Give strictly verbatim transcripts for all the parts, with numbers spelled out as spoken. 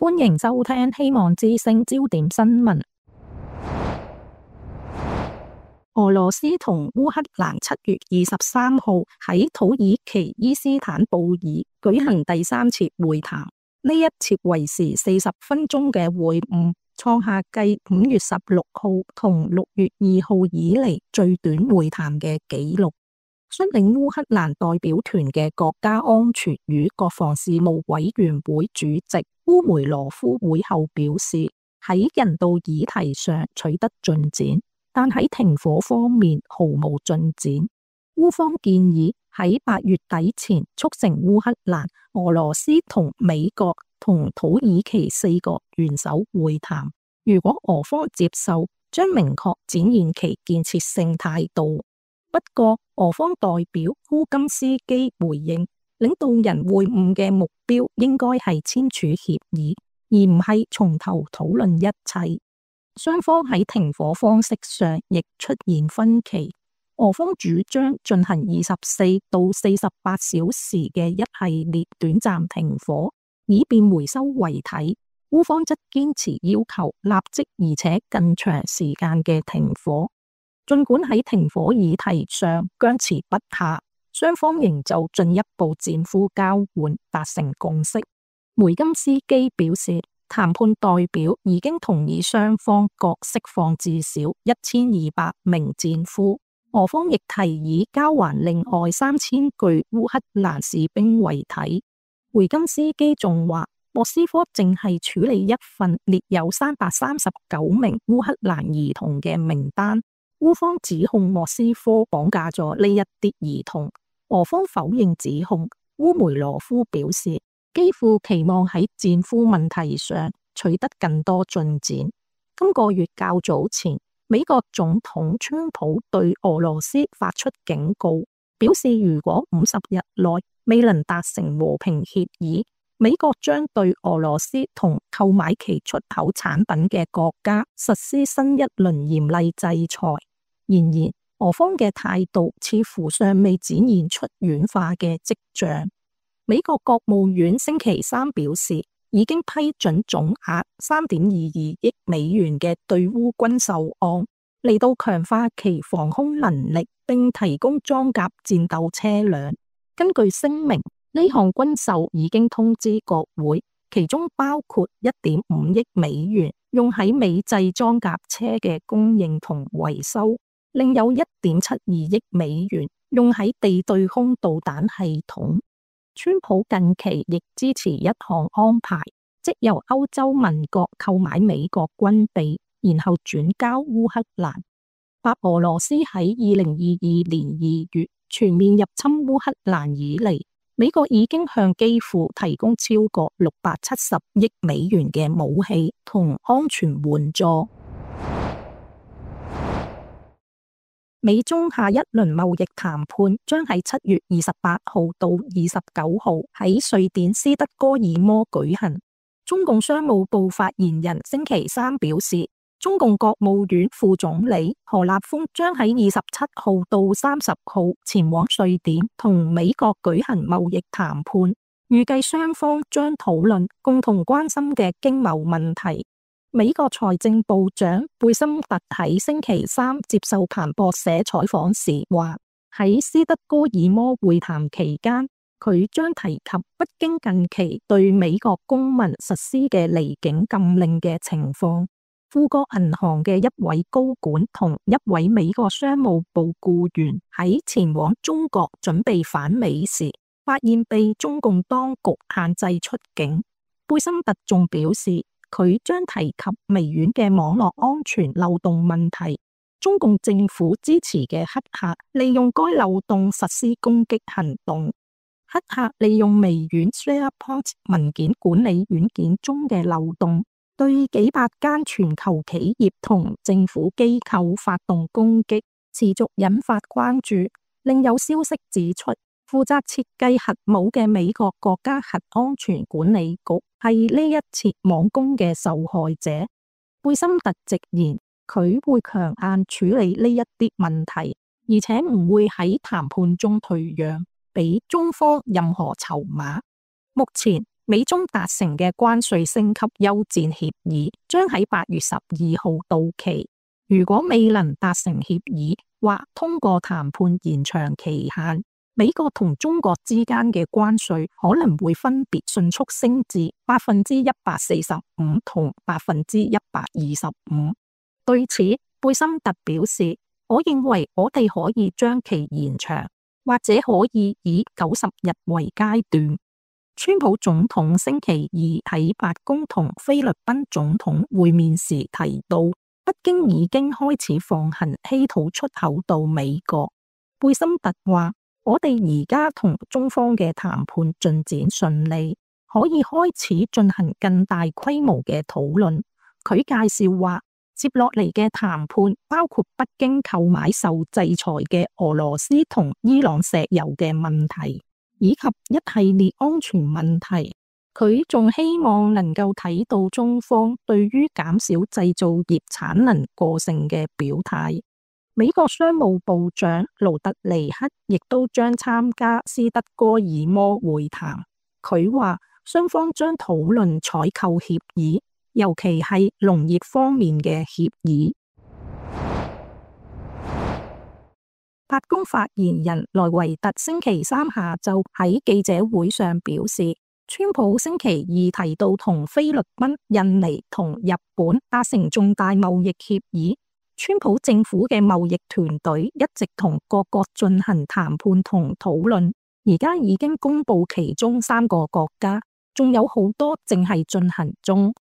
歡迎收聽希望之聲焦點新聞。俄羅斯同烏克蘭七月二十三號喺土耳其伊斯坦布爾舉行第三次會談，呢一次為時四十分鐘嘅會晤，創下繼五月十六號同六月二號以嚟最短會談嘅紀錄。率領烏克蘭代表團嘅國家安全與國防事務委員會主席烏梅羅夫會後表示，喺人道議題上取得進展，但喺停火方面毫無進展。烏方建議喺八月底前促成烏克蘭、俄羅斯同美國同土耳其四國元首會談。如果俄方接受，將明確展現其建設性態度。不過，俄方代表烏金斯基回應，領導人會晤嘅目標應該係簽署協議，而唔係從頭討論一切。雙方喺停火方式上亦出現分歧。俄方主張進行二十四到四十八小時嘅一系列短暫停火，以便回收遺體。烏方則堅持要求立即而且更長時間嘅停火。儘管喺停火議題上僵持不下，雙方仍就進一步戰俘交換達成共識。梅金斯基表示，談判代表已經同意雙方各釋放至少一千二百名戰俘，俄方亦提議交還另外三千具烏克蘭士兵遺體。梅金斯基仲話，莫斯科正係處理一份列有三百三十九名烏克蘭兒童嘅名單。烏方指控莫斯科綁架咗呢一啲兒童，俄方否認指控。烏梅羅夫表示，基輔期望喺戰俘問題上取得更多進展。今個月較早前，美國總統川普對俄羅斯發出警告，表示如果五十日內未能達成和平協議，美國將對俄羅斯同購買其出口產品嘅國家實施新一輪嚴厲制裁。然而，俄方嘅態度似乎尚未展現出軟化嘅跡象。美國國務院星期三表示，已經批准總額三點二二億美元嘅對烏軍售案，嚟到強化其防空能力，並提供裝甲戰鬥車輛。根據聲明，呢項軍售已經通知國會，其中包括一點五億美元用喺美製裝甲車嘅供應同維修。另有一點七二億美元用喺地對空導彈系統。川普近期亦支持一項安排，即由歐洲盟國購買美國軍備，然後轉交烏克蘭。白俄羅斯喺二零二二年二月全面入侵烏克蘭以嚟，美國已經向基輔提供超過六百七十億美元嘅武器同安全援助。美中下一輪貿易談判將喺七月二十八號到二十九號喺瑞典斯德哥爾摩舉行。中共商務部發言人星期三表示，中共國務院副總理何立峰將喺二十七號到三十號前往瑞典同美國舉行貿易談判，預計雙方將討論共同關心嘅經貿問題。美國財政部長貝森特喺星期三接受彭博社採訪時話，喺斯德哥爾摩會談期間，佢將提及北京近期對美國公民實施嘅離境禁令嘅情況。富國銀行嘅一位高管同一位美國商務部僱員喺前往中國準備返美時，發現被中共當局限制出境。貝森特仲表示，佢將提及微軟嘅網絡安全漏洞問題。中共政府支持嘅黑客利用該漏洞實施攻擊行動。黑客利用微軟 SharePoint 文件管理軟件中嘅漏洞，對幾百間全球企業同政府機構發動攻擊，持續引發關注。另有消息指出，負責設計核武嘅美國國家核安全管理局係呢一次網攻嘅受害者。貝森特直言，佢會強硬處理呢一啲問題，而且唔會喺談判中退讓，俾中方任何籌碼。目前，美中達成嘅關稅升級休戰協議將喺八月十二號到期。如果未能達成協議或通過談判延長期限，美國同中國之間嘅關稅可能會分別迅速升至百分之一百四十五同百分之一百二十五。對此，貝森特表示，我認為我哋可以將其延長，或者可以以九十日為階段。川普總統星期二喺白宮同菲律賓總統會面時提到，北京已經開始放行稀土出口到美國。貝森特話，我哋而家同中方嘅談判進展順利，可以開始進行更大規模嘅討論。佢介紹話，接落嚟嘅談判包括北京購買受制裁嘅俄羅斯同伊朗石油嘅問題，以及一系列安全問題。佢仲希望能夠睇到中方對於減少製造業產能過剩嘅表態。美國商務部長盧特尼克亦都將參加斯德哥爾摩會談。佢話雙方將討論採購協議，尤其係農業方面嘅協議。白宮發言人萊維特星期三下晝喺記者會上表示，川普星期二提到同菲律賓、印尼同日本達成重大貿易協議。川普政府嘅貿易團隊一直同各國進行談判同討論，而家已經公布其中三個國家，仲有好多正係進行中。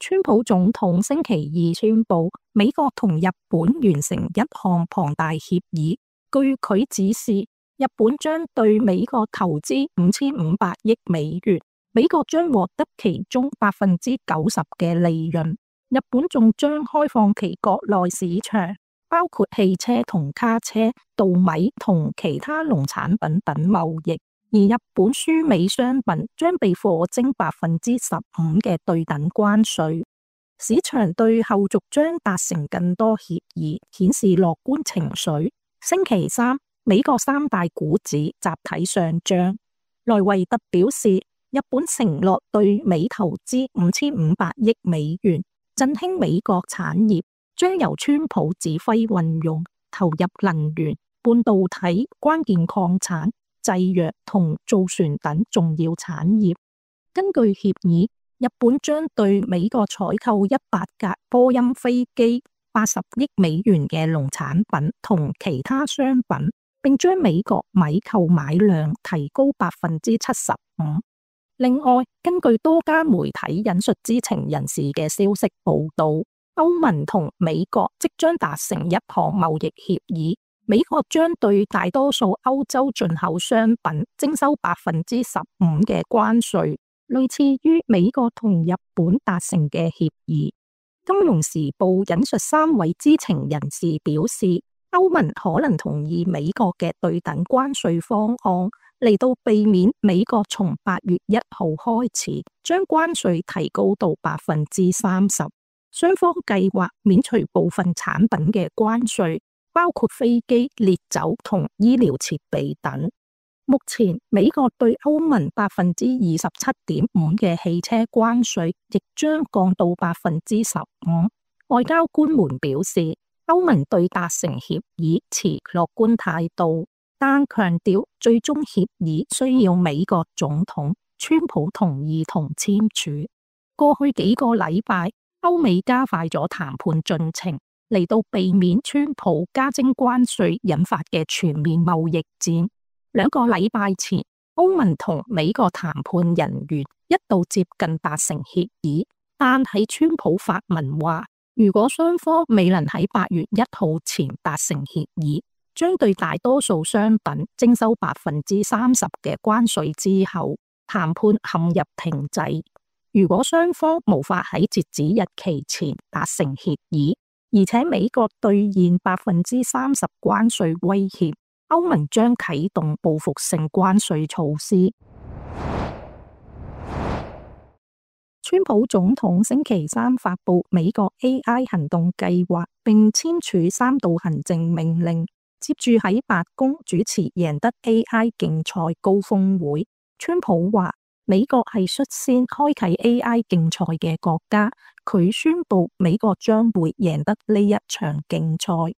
川普總統星期二宣布，美國同日本完成一項龐大協議。據佢指示，日本將對美國投資五千五百億美元，美國將獲得其中百分之九十嘅利潤。日本仲將開放其國內市場，包括汽車同卡車、稻米同其他農產品等貿易，而日本輸美商品將被課徵百分之十五嘅對等關稅。市場對後續將達成更多協議顯示樂觀情緒。星期三，美國三大股指集體上漲。萊維特表示，日本承諾對美投資五千五百億美元。振興美國產業，將由川普指揮運用，投入能源、半導體、關鍵礦產、製藥同造船等重要產業。根據協議，日本將對美國採購一百架波音飛機、八十億美元嘅農產品同其他商品，並將美國米購買量提高百分之七十五。另外，根據多家媒體引述知情人士嘅消息報道，歐盟同美國即將達成一項貿易協議，美國將對大多數歐洲進口商品徵收百分之十五嘅關稅，類似於美國同日本達成嘅協議。金融時報引述三位知情人士表示，歐盟可能同意美國嘅對等關稅方案，嚟到避免美國從八月一號開始將關稅提高到百分之三十。雙方計劃免除部分產品嘅關稅，包括飛機、烈酒同醫療設備等。目前美國對歐盟百分之二十七點五嘅汽車關稅亦將降到百分之十五。外交官們表示，歐盟對達成協議持樂觀態度，但強調最終協議需要美國總統川普同意同簽署。過去幾個禮拜，歐美加快咗談判進程，嚟到避免川普加徵關稅引發嘅全面貿易戰。兩個禮拜前，歐盟同美國談判人員一度接近達成協議，但喺川普發文話，如果雙方未能喺八月一號前達成協議，將對大多數商品徵收百分之三十嘅關稅之後，談判陷入停滯。如果雙方無法喺截止日期前達成協議，而且美國兌現百分之三十關稅威脅，歐盟將啟動報復性關稅措施。川普總統星期三發布美國 A I 行動計劃，並簽署三道行政命令。接住喺白宮主持贏得 A I 競賽高峰會，川普話美國係率先開啟 A I 競賽嘅國家，佢宣布美國將會贏得呢一場競賽。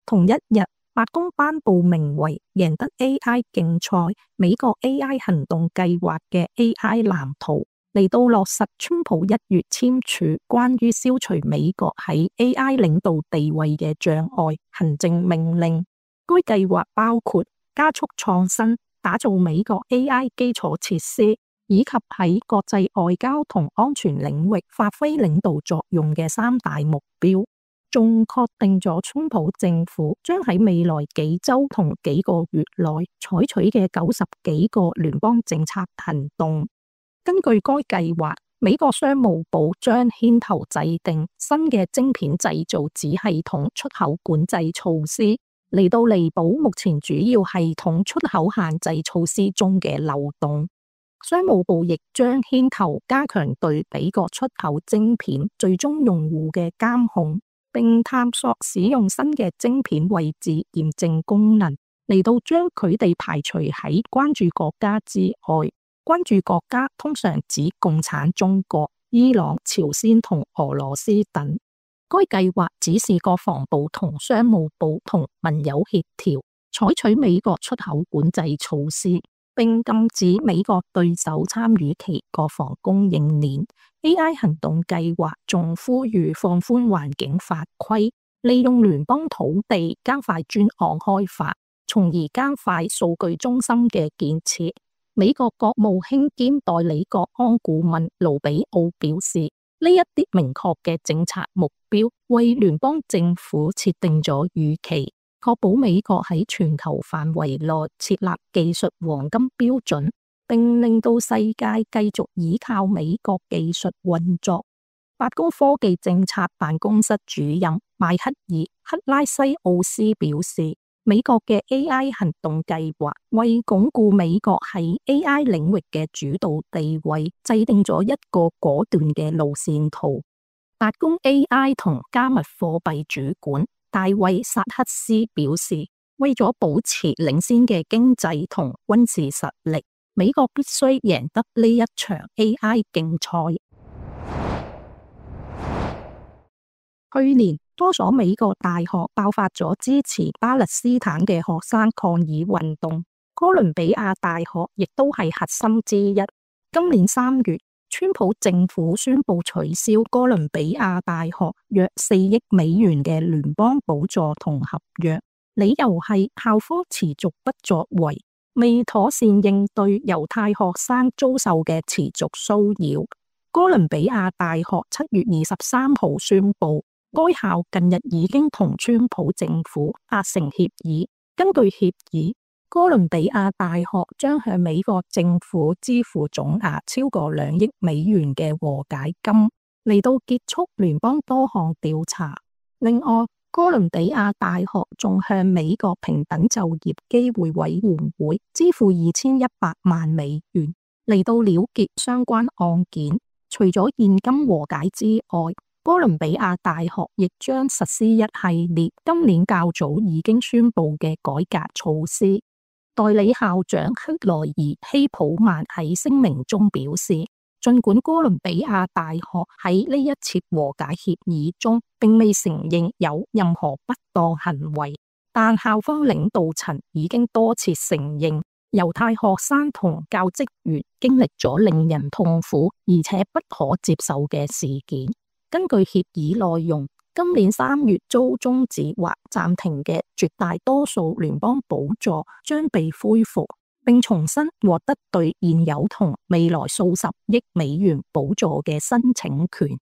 同一日，白宮頒布名為贏得 A I 競賽美國 A I 行動計劃嘅 A I 藍圖，嚟到落實川普一月簽署關於消除美國喺 A I 領導地位嘅障礙行政命令。該計劃包括加速創新、打造美國 A I 基礎設施，以及喺國際外交同安全領域發揮領導作用嘅三大目標。仲確定咗川普政府將喺未來幾週同幾個月內採取嘅九十幾個聯邦政策行動。根據該計劃，美國商務部將牽頭制定新嘅晶片製造子系統出口管制措施，嚟到彌補目前主要系統出口限制措施中嘅漏洞。商務部亦將牽頭加強對美國出口晶片最終用戶嘅監控，並探索使用新嘅晶片位置驗證功能，嚟到將佢哋排除喺關注國家之外。關注國家通常指共產中國、伊朗、朝鮮同俄羅斯等。該計劃指示國防部同商務部同盟友協調，採取美國出口管制措施，並禁止美國對手參與其國防供應鏈。A I 行動計劃仲呼籲放寬環境法規，利用聯邦土地加快專案開發，從而加快數據中心嘅建設。美國國務卿兼代理國安顧問盧比奧表示，呢一啲明確嘅政策目標為聯邦政府設定咗預期，確保美國喺全球範圍內設立技術黃金標準，並令到世界繼續依靠美國技術運作。白宮科技政策辦公室主任邁克爾克拉西奧斯表示，美國嘅 A I 行動計劃為鞏固美國喺 A I 領域嘅主導地位，制定咗一個果斷嘅路線圖。白宮 A I 同加密貨幣主管大衛薩克斯表示，為咗保持領先嘅經濟同軍事實力，美國必須贏得呢一場 A I 競賽。去年，多所美國大學爆發咗支持巴勒斯坦嘅學生抗議運動，哥倫比亞大學亦都係核心之一。今年三月，川普政府宣布取消哥倫比亞大學約四億美元嘅聯邦補助同合約，理由係校方持續不作為，未妥善應對猶太學生遭受嘅持續騷擾。哥倫比亞大學七月二十三號宣布，該校近日已經同川普政府達成協議。根據協議，哥倫比亞大學將向美國政府支付總額超過兩億美元嘅和解金，嚟到結束聯邦多項調查。另外，哥倫比亞大學仲向美國平等就業機會委員會支付二千一百萬美元，嚟到了結相關案件。除咗現金和解之外，哥倫比亞大學亦將實施一系列今年較早已經宣布嘅改革措施。代理校長克萊爾希普曼喺聲明中表示，儘管哥倫比亞大學喺呢一次和解協議中並未承認有任何不當行為，但校方領導層已經多次承認猶太學生同教職員經歷咗令人痛苦而且不可接受嘅事件。根據協議內容，今年三月遭終止或暫停嘅絕大多數聯邦補助將被恢復，並重新獲得對現有同未來數十億美元補助嘅申請權。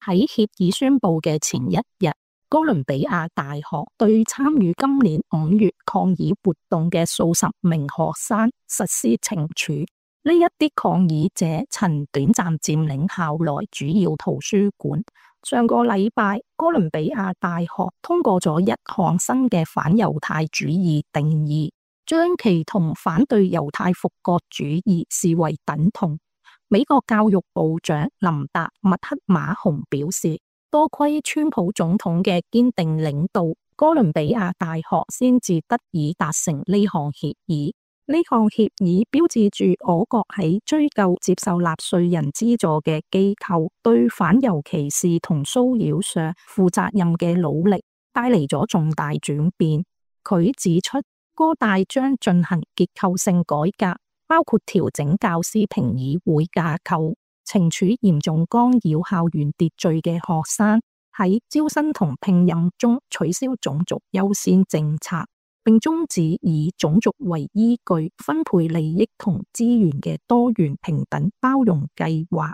喺協議宣布嘅前一日，哥倫比亞大學對參與今年五月抗議活動嘅數十名學生實施懲處。呢一啲抗議者曾短暫佔領校內主要圖書館。上個禮拜，哥倫比亞大學通過咗一項新嘅反猶太主義定義，將其同反對猶太復國主義視為等同。美國教育部長林達麥克馬洪表示，多虧川普總統嘅堅定領導，哥倫比亞大學先至得以達成呢項協議。呢項協議標誌住我國喺追究接受納稅人資助嘅機構對反猶歧視同騷擾上負責任嘅努力，帶嚟咗重大轉變。佢指出，哥大將進行結構性改革，包括調整教師評議會架構，懲處嚴重干擾校園秩序嘅學生，喺招生同聘任中取消種族優先政策，並終止以種族為依據分配利益同資源嘅多元平等包容計劃。